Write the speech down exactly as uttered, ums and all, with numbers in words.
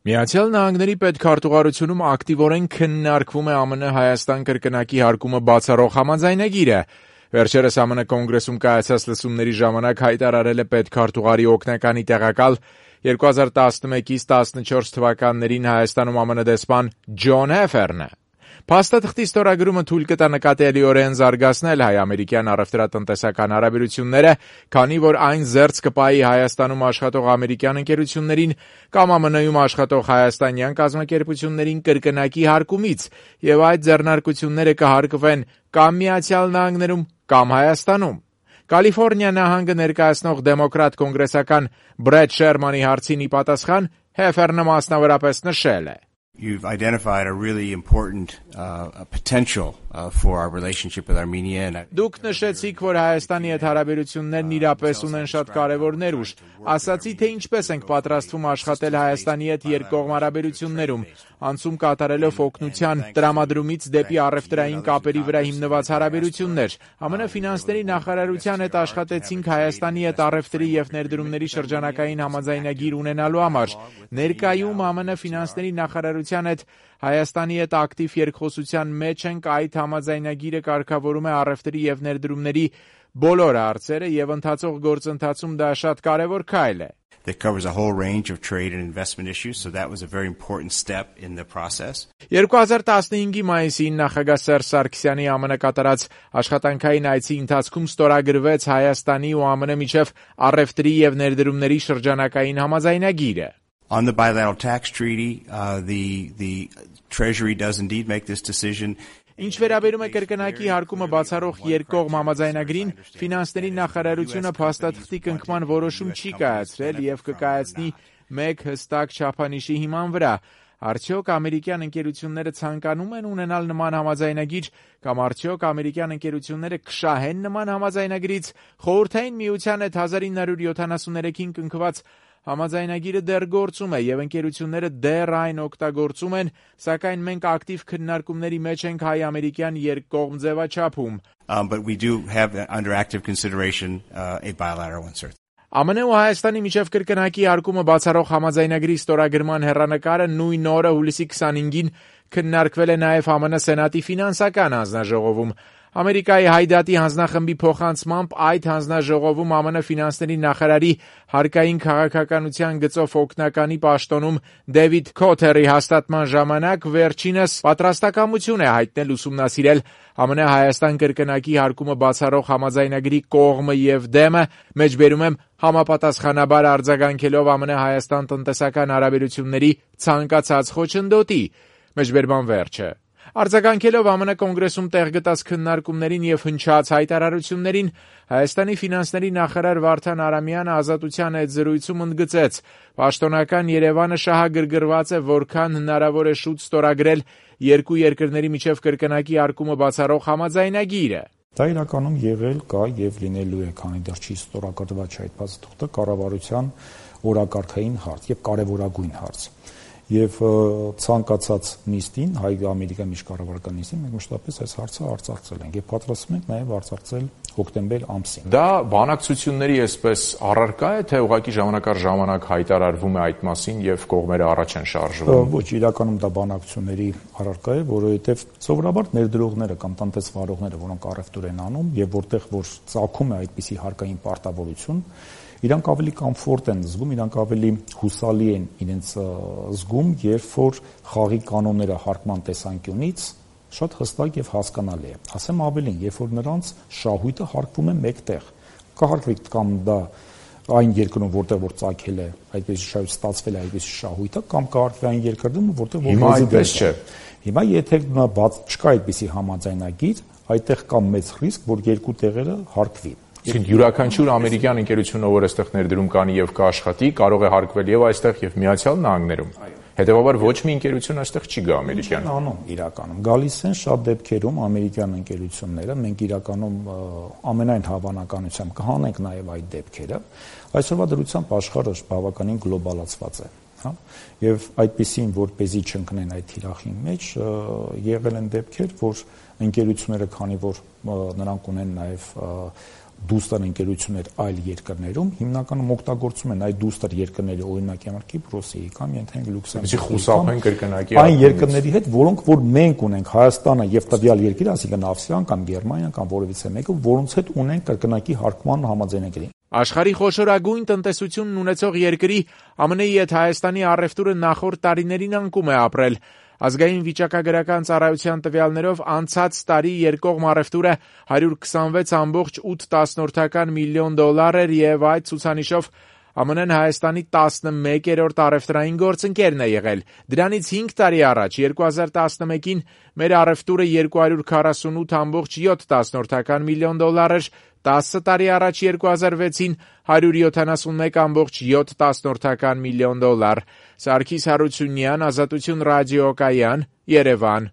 Միացյալ Նահանգների պետքարտուղարությունում ակտիվորեն քննարկվում է ԱՄՆ Հայաստան կրկնակի հարկումը բացառող համաձայնագիրը։ Վերջերս ԱՄՆ կոնգրեսում կայացած լսումների ժամանակ հայտարարել է պետքարտուղարի օգնականի տեղակալ երկու հազար տասնմեկից տասնչորս թվականներին Հայաստանում ԱՄՆ դեսպան Ջոն Հեֆերնը։ Փաստաթղթի ստորագրումը թույլ կտա նկատելիորեն զարգացնել հայ-ամերիկյան առևտրատնտեսական հարաբերությունները, քանի որ այն զերծ կպահի Հայաստանում աշխատող ամերիկյան ընկերություններին կամ ԱՄՆ-ում աշխատող հայաստանյան կազմակերպություններին կրկնակի հարկումից, եւ այդ ձեռնարկությունները կհարկվեն կամ Միացյալ Նահանգներում, կամ Հայաստանում։ Կալիֆոռնիա նահանգը ներկայացնող դեմոկրատ կոնգրեսական Բրեդ Շերմանի հարցին ի պատասխան Հեֆերնը մասնավորապես նշել է. You've identified a really important uh, potential uh, for our relationship with Armenia. And Դուք նշեցիք, որ Հայաստանի հետ հարաբերություններն իրապես ունեն շատ կարևոր ներուժ։ Ասացի, թե ինչպես ենք պատրաստվում աշխատել Հայաստանի հետ երկկողմ հարաբերություններում, անցում կատարելով օգնության տրամադրումից դեպի առևտրային կապերի վրա հիմնված հարաբերություններ։ ԱՄՆ ֆինանսների նախարարության հետ աշխատեցինք Հայաստանի հետ առևտրի եւ ներդրումների շրջանակային համաձայնագիր ունենալու համար։ Ներկայում ԱՄՆ ֆինանսների նախարարության հետ Հայաստանի հետ ակտիվ երկխոսության մեջ ենք, այդ համաձայնագիրը կարգավորում է առևտրի եւ ներդրումների բոլոր հարցերը եւ ընթացող գործընթացում դա շատ կարեւոր քայլ է։ That covers a whole range of trade and investment issues, so that was a very important step in the process. երկու հազար տասնհինգի մայիսին նախագահ Սերժ Սարգսյանի ԱՄՆ կատարած աշխատանքային այցի ընթացքում ստորագրվեց Հայաստանի ու ԱՄՆ միջև առևտրի եւ ներդրումների շրջանակային համաձայնագիրը։ On the bilateral tax treaty, uh, the the Treasury does indeed make this decision. Ինչ վերաբերում է կրկնակի հարկումը բացառող երկկողմ համաձայնագրին, ֆինանսների նախարարությունը փաստաթղթի կնքման որոշում չի կայացրել եւ կկայացնի մեկ հստակ չափանիշի հիման վրա։ Արդյոք ամերիկյան ընկերությունները ցանկանում են ունենալ նման համաձայնագիր կամ արդյոք ամերիկյան ընկերությունները կշահեն նման համաձայնագրից։ Խորհրդային միության հետ հազար ինը հարյուր յոթանասուններեքին կնքված համաձայնագիրը դեռ գործում է եւ ընկերությունները դեռ այն օգտագործում են, սակայն մենք ակտիվ քննարկումների մեջ ենք հայ-ամերիկյան երկկողմ ձևաչափում։ Um, but we do have under active consideration uh, a bilateral insert. ԱՄՆ ու Հայաստանի միջև կրկնակի հարկումը բացառող համաձայնագրի ստորագրման հեռանկարը նույն օրը հուլիսի քսանհինգին քննարկվել է նաև ԱՄՆ Սենատի ֆինանսական հանձնաժողովում։ Ամերիկայի Հայդատի հանձնախմբի փոխանցմամբ այդ հանձնաժողովում ԱՄՆ ֆինանսների նախարարի հարկային քաղաքականության գծով օգնականի պաշտոնում Դեվիդ Քոթերի հաստատման ժամանակ վերջինս պատրաստակամություն է հայտնել ուսումնասիրել ԱՄՆ Հայաստան կրկնակի հարկումը բացառող համաձայնագրի կողմը եւ դեմը, մեջբերում եմ համապատասխանաբար արձագանքելով ԱՄՆ Հայաստան տնտեսական հարաբերությունների ցանկացած խոչընդոտի, մեջբերման վերջը։ Արձագանքելով ԱՄՆ կոնգրեսում տեղ գտած քննարկումներին եւ հնչած հայտարարություններին, Հայաստանի ֆինանսների նախարար Վարդան Արամյանը Ազատության հետ զրույցում ընդգծեց. «Պաշտոնական Երևանը շահագրգռված է, որքան հնարավոր է շուտ ստորագրել երկու երկրների միջև կրկնակի հարկումը բացառող համաձայնագիրը»։ Դա իրականում եղել կա եւ լինելու է, քանի դեռ չի ստորագրված այդ փաստաթղթը, կառավարության օրակարգային հարց եւ կարեւորագույն հարց։ Եվ ցանկացած նիստին, հայ-ամերիկյան միջկառավարական նիստին, մենք մշտապես այս հարցը արծարծել ենք եւ պատրաստվում ենք նաեւ արծարծել հոկտեմբեր ամսին։ Դա բանակցությունների այսպես առարկա է, թե ուղղակի ժամանակ առ ժամանակ հայտարարվում է այդ մասին եւ կողմերը առաջ են շարժվում։ Ոչ, իրականում դա բանակցությունների առարկա է, որովհետեւ սովորաբար ներդրողները կամ տնտեսվարողները, որոնք առևտուր են անում եւ որտեղ որ ծագում է այդպիսի հարկային պարտավորություն, իրանք ավելի կոմֆորտ են զգում, իրանք ավելի հուսալի են իրենց զգում, երբ որ խաղի կանոնները հարկման տեսանկյունից շատ հստակ եւ հասկանալի է։ Ասեմ ավելին, երբ որ նրանց շահույթը հարկվում է մեկտեղ, կհարկվի կամ դա այն երկրում, որտեղ որ ծագել է, այդպես շահույթ ստացվել է այդպես շահույթը, կամ կհարկվի այն երկրում, որտեղ որ հիմա այդպես չէ։ Հիմա եթե բաց չկա այդպիսի համաձայնագիր, այդտեղ կա մեծ ռիսկ, որ երկու տեղերը հարկվի։ Իսկ յուրաքանչյուր ամերիկյան ընկերությունը, որ այստեղ ներդրում կանի եւ կաշխատի, կարող է հարկվել եւ այստեղ եւ Միացյալ Նահանգներում։ Հետեւաբար ոչ մի ընկերություն այստեղ չի գա ամերիկյան։ Անում իրականում գալիս են շատ դեպքերում ամերիկյան ընկերությունները, մենք իրականում ամենայն հավանականությամբ կհանենք նաեւ այդ դեպքերը։ Այսօրվա դրությամբ աշխարհը բավականին գլոբալացված է, հա, եւ այդպեսին, որպեսզի չընկնեն այդ թիրախի մեջ, եղել են դեպքեր, որ ընկերությունները, քանի որ նրանք ունեն նաեւ դուստր ընկերություններ այլ երկրներում, հիմնականում օգտագործում են այդ դուստր երկրների, օրինակ եմը Կիպրոսի կամ ենթենք Լյուքսեմբուրգի այն երկրների հետ, որոնք որ մենք ունենք Հայաստանը եւ տվյալ երկիրը, այսինքն Ավստրիան կամ Գերմանիան կամ որևիցե մեկը, որոնց հետ ունենք կրկնակի հարկման համաձայնագրի։ Աշխարհի խոշորագույն տնտեսությունն ունեցող երկրի ԱՄՆ –ի հետ Հայաստանի առևտուրը նախորդ տարիներին անկում է ապրել։ Ազգային վիճակագրական ծառայության տվյալներով անցած տարի երկկողմ առևտուրը հարյուր քսանվեց կόμma ութ միլիոն դոլար էր եւ այդ ցուցանիշով ԱՄՆ-ն Հայաստանի տասնմեկերորդ առևտրային գործընկերն է եղել։ Դրանից հինգ տարի առաջ երկու հազար տասնմեկին մեր առևտուրը երկու հարյուր քառասունութ կόμma յոթ միլիոն դոլար էր, տասը տարի առաջ երկու հազար վեցին հարյուր յոթանասունմեկ կόμma յոթ միլիոն դոլար։ Սարգիս Հարությունյան, Ազատություն ռադիոկայան, Երևան։